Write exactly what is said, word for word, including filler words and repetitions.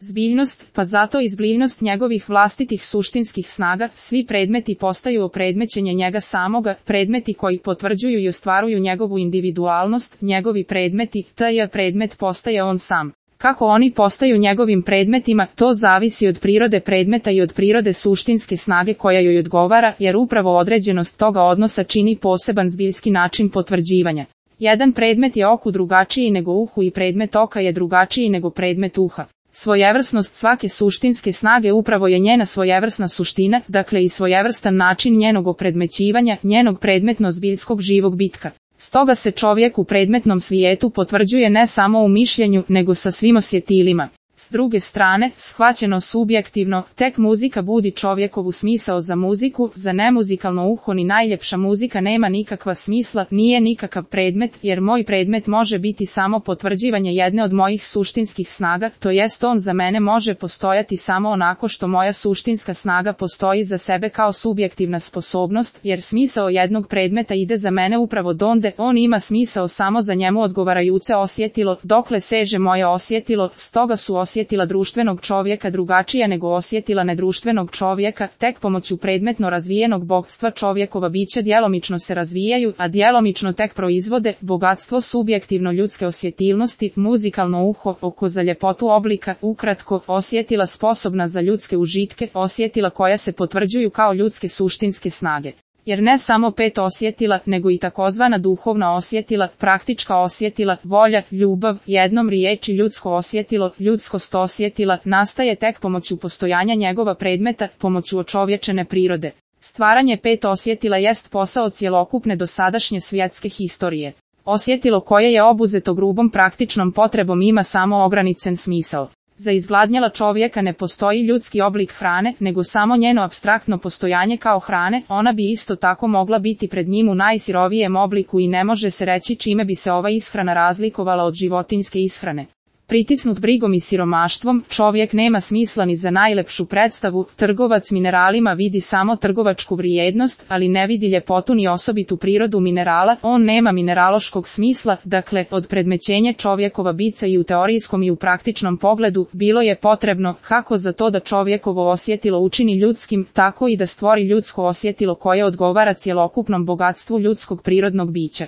Zbiljnost, pa zato i zbiljnost njegovih vlastitih suštinskih snaga, svi predmeti postaju opredmećenje njega samoga, predmeti koji potvrđuju i ostvaruju njegovu individualnost, njegovi predmeti, taj predmet postaje on sam. Kako oni postaju njegovim predmetima, to zavisi od prirode predmeta i od prirode suštinske snage koja joj odgovara, jer upravo određenost toga odnosa čini poseban zbiljski način potvrđivanja. Jedan predmet je oku drugačiji nego uhu i predmet oka je drugačiji nego predmet uha. Svojevrsnost svake suštinske snage upravo je njena svojevrsna suština, dakle i svojevrstan način njenog opredmećivanja, njenog predmetno-zbiljskog živog bitka. Stoga se čovjek u predmetnom svijetu potvrđuje ne samo u mišljenju, nego sa svim osjetilima. S druge strane, shvaćeno subjektivno, tek muzika budi čovjekovu smisao za muziku, za nemuzikalno uho ni najljepša muzika nema nikakva smisla, nije nikakav predmet, jer moj predmet može biti samo potvrđivanje jedne od mojih suštinskih snaga, to jest on za mene može postojati samo onako što moja suštinska snaga postoji za sebe kao subjektivna sposobnost, jer smisao jednog predmeta ide za mene upravo donde, on ima smisao samo za njemu odgovarajuće osjetilo, dokle seže moje osjetilo, stoga su osjetila društvenog čovjeka drugačija nego osjetila nedruštvenog čovjeka, tek pomoću predmetno razvijenog bogstva čovjekova bića djelomično se razvijaju, a djelomično tek proizvode bogatstvo subjektivno ljudske osjetilnosti, muzikalno uho, oko za ljepotu oblika, ukratko, osjetila sposobna za ljudske užitke, osjetila koja se potvrđuju kao ljudske suštinske snage. Jer ne samo pet osjetila, nego i takozvana duhovna osjetila, praktička osjetila, volja, ljubav, jednom riječi ljudsko osjetilo, ljudskost osjetila, nastaje tek pomoću postojanja njegova predmeta, pomoću očovječene prirode. Stvaranje pet osjetila jest posao cjelokupne dosadašnje svjetske historije. Osjetilo koje je obuzeto grubom praktičnom potrebom ima samo ograničen smisao. Za izgladnjela čovjeka ne postoji ljudski oblik hrane, nego samo njeno apstraktno postojanje kao hrane, ona bi isto tako mogla biti pred njim u najsirovijem obliku i ne može se reći čime bi se ova ishrana razlikovala od životinjske ishrane. Pritisnut brigom i siromaštvom, čovjek nema smisla ni za najlepšu predstavu, trgovac mineralima vidi samo trgovačku vrijednost, ali ne vidi ljepotu ni osobitu prirodu minerala, on nema mineraloškog smisla, dakle, od predmećenja čovjekova bica i u teorijskom i u praktičnom pogledu, bilo je potrebno, kako za to da čovjekovo osjetilo učini ljudskim, tako i da stvori ljudsko osjetilo koje odgovara cjelokupnom bogatstvu ljudskog prirodnog bića.